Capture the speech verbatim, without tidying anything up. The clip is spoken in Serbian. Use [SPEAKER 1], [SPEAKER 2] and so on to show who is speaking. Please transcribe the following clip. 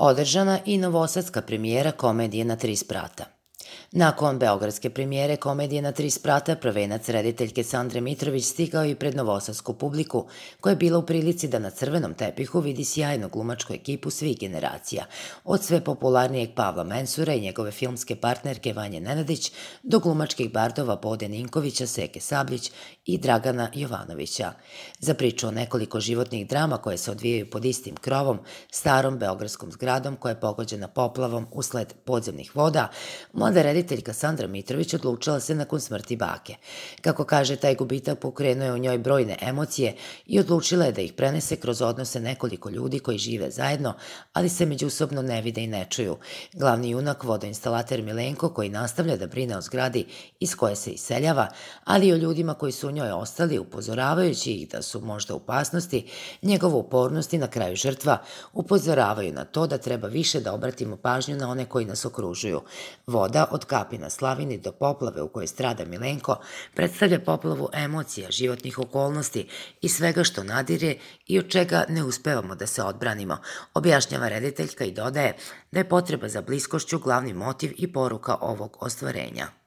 [SPEAKER 1] Održana i novosadska premijera komedije na tri sprata. Nakon beogradske premijere komedije na tri sprata, prvenac rediteljke Sandre Mitrović stigao i pred novosadsku publiku, koja je bila u prilici da na crvenom tepihu vidi sjajnu glumačku ekipu svih generacija, od sve popularnijeg Pavla Mensura i njegove filmske partnerke Vanje Nenadić, do glumačkih bardova Bode Ninkovića, Seke Sabljić i Dragana Jovanovića. Za priču o nekoliko životnih drama koje se odvijaju pod istim krovom, starom beogradskom zgradom koja je pogođena poplavom usled podzemnih voda, mlada rediteljka Sandra Mitrović odlučila se nakon smrti bake. Kako kaže, taj gubitak pokrenuo je u njoj brojne emocije i odlučila je da ih prenese kroz odnose nekoliko ljudi koji žive zajedno, ali se međusobno ne vide i ne čuju. Glavni junak, vodoinstalater Milenko, koji nastavlja da brine o zgradi iz koje se iseljava, ali i o ljudima koji su u njoj ostali, upozoravajući ih da su možda u opasnosti, njegova upornost i na kraju žrtva upozoravaju na to da treba više da obratimo pažnju na one koji nas okružuju. Voda, od kapi na slavini do poplave u kojoj strada Milenko, predstavlja poplavu emocija, životnih okolnosti i svega što nadire i od čega ne uspevamo da se odbranimo, objašnjava rediteljka i dodaje da je potreba za bliskošću glavni motiv i poruka ovog ostvarenja.